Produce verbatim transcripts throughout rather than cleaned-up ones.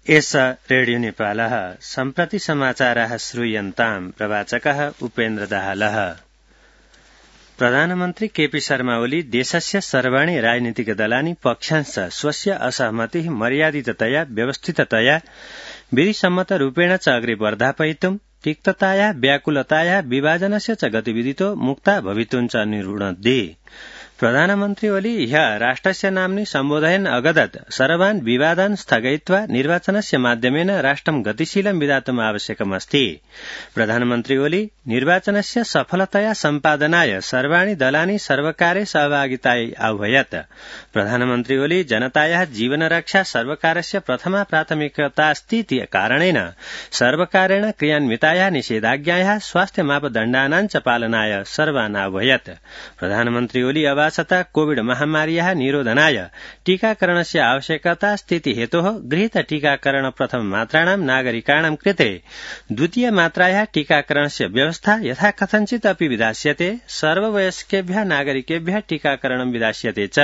एष रेडियो नेपालः सम्प्रति समाचाराः श्रूयन्ताम् प्रवाचकः उपेन्द्र दाहालः। प्रधानमन्त्री केपी शर्मा ओली देशस्य सर्वाणि राजनीतिकदलानि पक्षांश स्वस्य असहमतिः मर्यादिततया व्यवस्थिततया विधिसम्मतरूपेण च अग्रे वर्धापयितुम् तिक्तताया व्याकुलताया विभाजनस्य च गतिविधितो मुक्ता भवितुम् च निरुणद्धि। प्रधानमन्त्री ओली ह्यः राष्ट्रस्य नाम्नि सम्बोधयन् अगदत् सर्वान् विवादान् स्थगयित्वा निर्वाचनस्य माध्यमेन राष्ट्रं गतिशीलं विधातुम् आवश्यकमस्ति। प्रधानमन्त्री ओली निर्वाचनस्य सफलतया सम्पादनाय सर्वाणि दलानि सर्वकारे सहभागितायै आह्वयत्। प्रधानमन्त्री ओली जनतायाः जीवनरक्षा सर्वकारस्य प्रथमा प्राथमिकतास्तीति कारणेन सर्वकारेण क्रियान्वितायाः निषेधाज्ञायाः स्वास्थ्य मापदण्डानां च पालनाय सर्वान् आह्वयत्। प्रधानमन्त्री ओली अवासता कोविड महामार्याः निरोधनाय टीकाकरणस्य आवश्यकता स्थिति हेतोः गृहीत टीकाकरण प्रथम मात्राणां नागरिकाणां कृते द्वितीय मात्रायाः टीकाकरणस्य व्यवस्था यथा कथञ्चित् अपि विधास्यते। सर्ववयस्केभ्यः नागरिकेभ्यः टीकाकरणं विधास्यते च।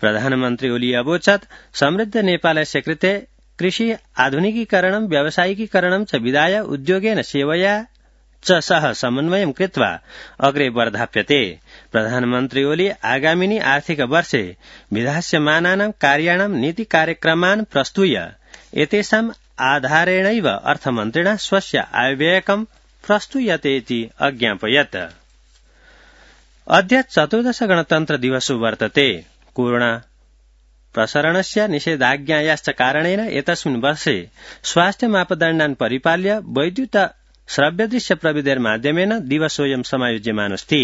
प्रधानमन्त्री ओली अवोचत् समृद्ध नेपालस्य कृते कृषि आधुनिकीकरणं व्यावसायिकीकरणं च विधाय उद्योगेन सेवया च सह समन्वयं कृत्वा अग्रे वर्धाप्यते। प्रधानमन्त्री ओली आगामिनि आर्थिक वर्षे विधास्यमानानां कार्याणां नीति कार्यक्रमान् प्रस्तुय एतेषाम् आधारेणैव अर्थमन्त्रिणा स्वस्य आयव्ययकं प्रस्तूयते इति अज्ञापयत्। अद्य चतुर्दश गणतन्त्र दिवसो वर्तते। कोरोना प्रसरणस्य निषेधाज्ञायाश्च कारणेन एतस्मिन् वर्षे स्वास्थ्य मापदण्डान् परिपाल्य वैद्युत श्रव्यदृश्य प्रविधेर्माध्यमेन दिवसोऽयं समायोज्यमानोऽस्ति।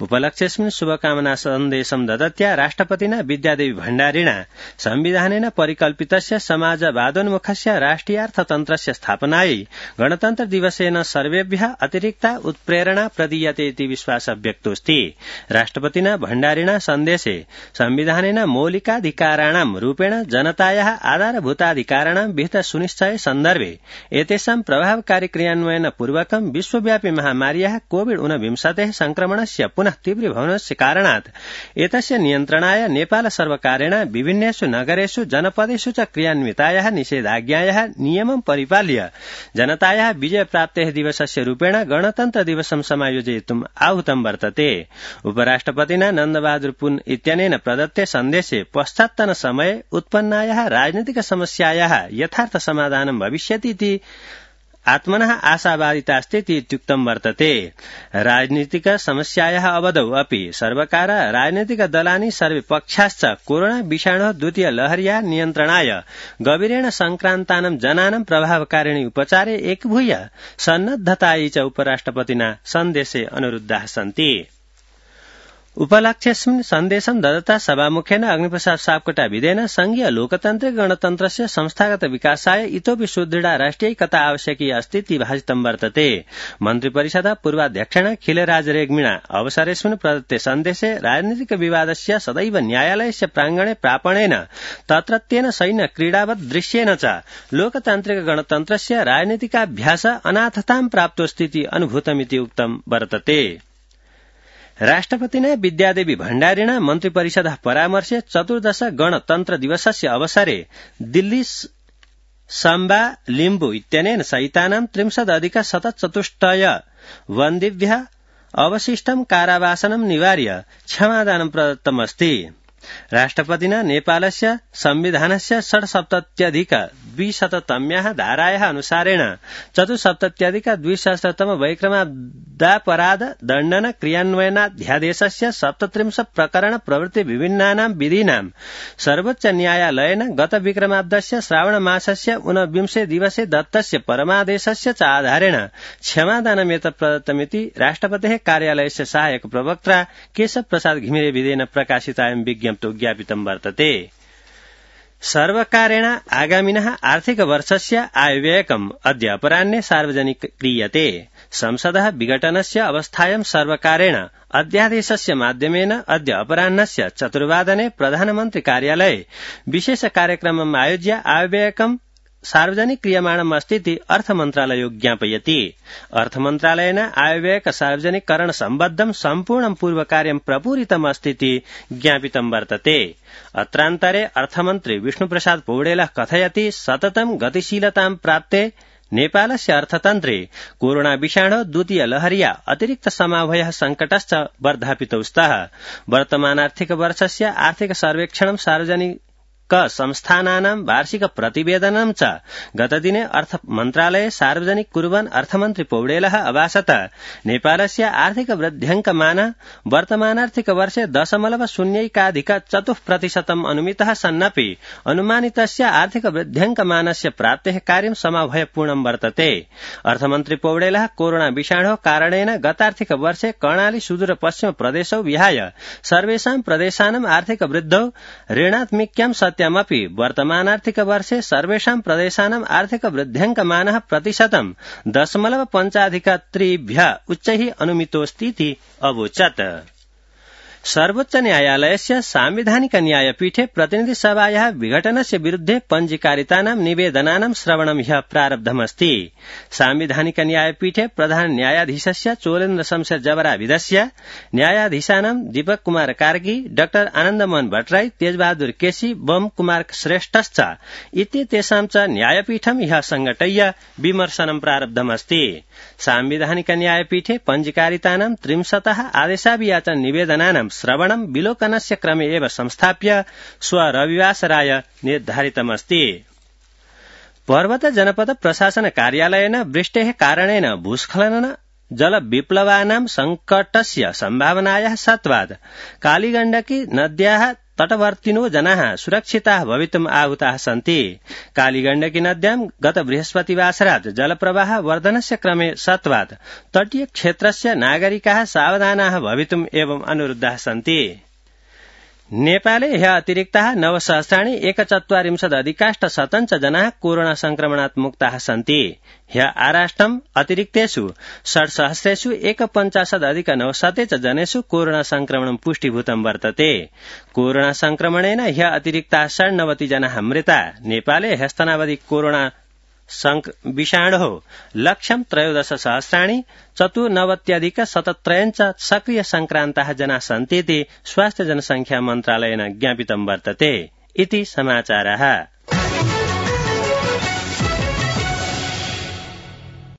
उपलक्ष्येऽस्मिन् शुभकामना सन्देशं ददत्या राष्ट्रपतिना विद्यादेवी भण्डारिणा संविधानेन परिकल्पितस्य समाजवादोन्मुखस्य राष्ट्रियार्थतन्त्रस्य स्थापनायै गणतन्त्र दिवसेन सर्वेभ्यः अतिरिक्ता उत्प्रेरणा प्रदीयते इति विश्वासः व्यक्तोऽस्ति। राष्ट्रपतिना भण्डारिणा सन्देशे संविधानेन मौलिकाधिकाराणां रूपेण जनतायाः आधारभूताधिकाराणां विहित सुनिश्चय सन्दर्भे एतेषां प्रभावकारी क्रियान्वयन पूर्वकं विश्वव्यापी महामार्याः कोविड ऊनविंशतेः संक्रमणस्य पुनः तीव्रीभवनस्य कारणात् एतस्य नियन्त्रणाय नेपाल सर्वकारेण विभिन्नेषु नगरेषु जनपदेषु च क्रियान्वितायाः निषेधाज्ञायाः नियमं परिपाल्य जनतायाः विजयप्राप्तेः दिवसस्य रूपेण गणतन्त्र दिवसं समायोजयितुम् आहूतं वर्तते। उपराष्ट्रपतिना नन्दबहादुर पुन इत्यनेन प्रदत्ते सन्देशे पश्चात्तन समये उत्पन्नायाः राजनीतिक समस्यायाः यथार्थ समाधानं भविष्यतीति आत्मनः आशावादितास्ति इत्युक्तं वर्तते। राजनीतिक समस्यायाः अवधौ अपि सर्वकार राजनीतिक दलानि सर्वे पक्षाश्च कोरोना विषाणोः द्वितीय लहर्याः नियन्त्रणाय गभीरेण संक्रान्तानां जनानां प्रभावकारिणी उपचारे एकभूय सन्नद्धतायै च उपराष्ट्रपतिना सन्देशे अनुरुद्धाः सन्ति। उपलक्ष्येऽस्मिन् सन्देशं ददता सभामुखेन अग्निप्रसाद सापकोटाविदेन संघीय लोकतान्त्रिक गणतन्त्रस्य संस्थागत विकासाय इतोपि सुदृढा राष्ट्रियैकता आवश्यकी अस्ति इति भाषितं वर्तते। मन्त्रिपरिषदः पूर्वाध्यक्षेण खिलराज रेग्मिणा अवसरेऽस्मिन् प्रदत्ते सन्देशे राजनीतिक विवादस्य सदैव न्यायालयस्य प्राङ्गणे प्रापणेन तत्रत्येन सैन्य क्रीडावत् दृश्येन च लोकतान्त्रिक गणतन्त्रस्य राजनीतिकाभ्यास अनाथतां प्राप्तोऽस्ति अनुभूतमिति उक्तं वर्तते। राष्ट्रपतिना विद्यादेवी भण्डारिणा मन्त्रिपरिषदः परामर्शे चतुर्दश गणतन्त्र दिवसस्य अवसरे दिल्ली साम्बा लिम्बु इत्यनेन सहितानां त्रिंशदधिक शतचतुष्टय बन्दिभ्यः अवशिष्टं कारावासनं निवार्य क्षमादानं प्रदत्तमस्ति। राष्ट्रपतिना नेपालस्य संविधानस्य षड्सप्तत्यधिक द्विशततम्याः धारायाः अनुसारेण चतुस्सप्तत्यधिक द्विसहस्रतम वैक्रमाब्दापराध दण्डन क्रियान्वयनाध्यादेशस्य सप्तत्रिंशत् प्रकरण प्रवृत्ति विभिन्नानां विधीनां सर्वोच्च न्यायालयेन गत विक्रमाब्दस्य श्रावणमासस्य ऊनविंशे दिवसे दत्तस्य परमादेशस्य च आधारेण क्षमादानमेतत् प्रदत्तमिति राष्ट्रपतेः कार्यालयस्य सहायक प्रवक्त्रा केशव प्रसाद घिमिरेविदेन प्रकाशितायां विज्ञप्तौ ज्ञापितं वर्तते। सर्वकारेण आगामिनः आर्थिक वर्षस्य आयव्ययकम् अद्य अपराह्ने सार्वजनिकीक्रियते। संसदः विघटनस्य अवस्थायां सर्वकारेण अध्यादेशस्य माध्यमेन अद्य अपराह्नस्य चतुर्वादने प्रधानमन्त्री कार्यालये विशेष कार्यक्रमम् आयोज्य आयव्ययकम् सार्वजनिक क्रियमाणम् अस्तीति अर्थमन्त्रालयो ज्ञापयति। अर्थमन्त्रालयेन आयव्ययक सार्वजनिककरण सम्बद्धं सम्पूर्णं पूर्वकार्यं प्रपूरितम् अस्तीति ज्ञापितं वर्तते। अत्रान्तरे अर्थमन्त्री विष्णुप्रसाद पौडेलः कथयति सततं गतिशीलतां प्राप्ते नेपालस्य अर्थतन्त्रे कोरोना विषाणो द्वितीय लहर्या अतिरिक्त समावयः संकटश्च वर्धापितौ स्तः। वर्तमानार्थिक वर्षस्य आर्थिक सर्वेक्षणं सार्वजनिक संस्थानानां वार्षिक प्रतिवेदनं च गतदिने अर्थ मन्त्रालये सार्वजनिक कुर्वन् अर्थमन्त्री पौडेलः अभाषत नेपालस्य आर्थिक वृद्ध्यङ्कमान वर्तमानार्थिक वर्षे दशमलव शून्यैकाधिक चतुः प्रतिशतम् अनुमितः सन्नपि अनुमानितस्य आर्थिक वृद्ध्यङ्कमानस्य प्राप्तेः कार्यं समावयपूर्णं वर्तते। अर्थमन्त्री पौडेलः कोरोना विषाणोः कारणेन गतार्थिक वर्षे कर्णाली सुदूर पश्चिम प्रदेशौ विहाय सर्वेषां प्रदेशानाम् आर्थिक वृद्धौ ऋणात्मिक्यां सत्यमपि वर्तमानार्थिक वर्षे सर्वेषां प्रदेशानाम् आर्थिक वृद्ध्यङ्कमानः प्रतिशतं दशमलव पञ्चाधिक त्रिभ्यः उच्चैः अनुमितोऽस्तीति अवोचत्। सर्वोच्च न्यायालयस्य सांविधानिक न्यायपीठे प्रतिनिधि सभायाः विघटनस्य विरुद्धे पञ्जीकारितानां निवेदनानां श्रवणं ह्यः प्रारब्धमस्ति। सांविधानिक न्यायपीठे प्रधान न्यायाधीशस्य चोलेन्द्र शमशेर जबराविदस्य न्यायाधीशानां दीपक कुमार कार्की, डाक्टर आनन्दमोहन भट्टराई, तेजबहादुर केसी, बम कुमार श्रेष्ठश्च इत्येतेषां च न्यायपीठं ह्यः संघटय्य विमर्शनं प्रारब्धमस्ति। सांविधानिक न्यायपीठे पञ्जीकारितानां त्रिंशतः आदेशाभियाचन निवेदनानां श्रवणं विलोकनस्य क्रमे एव संस्थाप्य श्व रविवासराय निर्धारितमस्ति। पर्वत जनपद प्रशासन कार्यालयेन वृष्टेः कारणेन भूस्खलन जल विप्लवानां संकटस्य सम्भावनायाः सत्वात् कालीगण्डकी नद्याः तटवर्तिनो जनाः सुरक्षिताः भवितुम् आहुताः सन्ति। कालीगण्डकी नद्यां गत बृहस्पतिवासरात् जलप्रवाह वर्धनस्य क्रमे सत्वात् तटीय क्षेत्रस्य नागरिकाः सावधानाः भवितुम् एवं अनुरुद्धाः सन्ति। नेपाले ह्यः अतिरिक्ताः नवसहस्राणि एकचत्वारिंशदधिकाष्ट शतञ्च जनाः कोरोना संक्रमणात् मुक्ताः सन्ति। ह्यः आराष्ट्रम् अतिरिक्तेषु षट्सहस्रेषु एकपञ्चाशदधिक नवशते च जनेषु कोरोना संक्रमणं पुष्टीभूतं वर्तते। कोरोना संक्रमणेन ह्यः अतिरिक्ताः षण्णवति जनाः मृता। नेपाले ह्यस्तनावधि कोरोना विषाणोः लक्ष्यं त्रयोदश सहस्राणि चतुर्नवत्यधिक शतत्रयञ्च सक्रिय संक्रान्ताः जनाः सन्तीति स्वास्थ्य जनसंख्या मन्त्रालयेन ज्ञापितं वर्तते। इति समाचारः।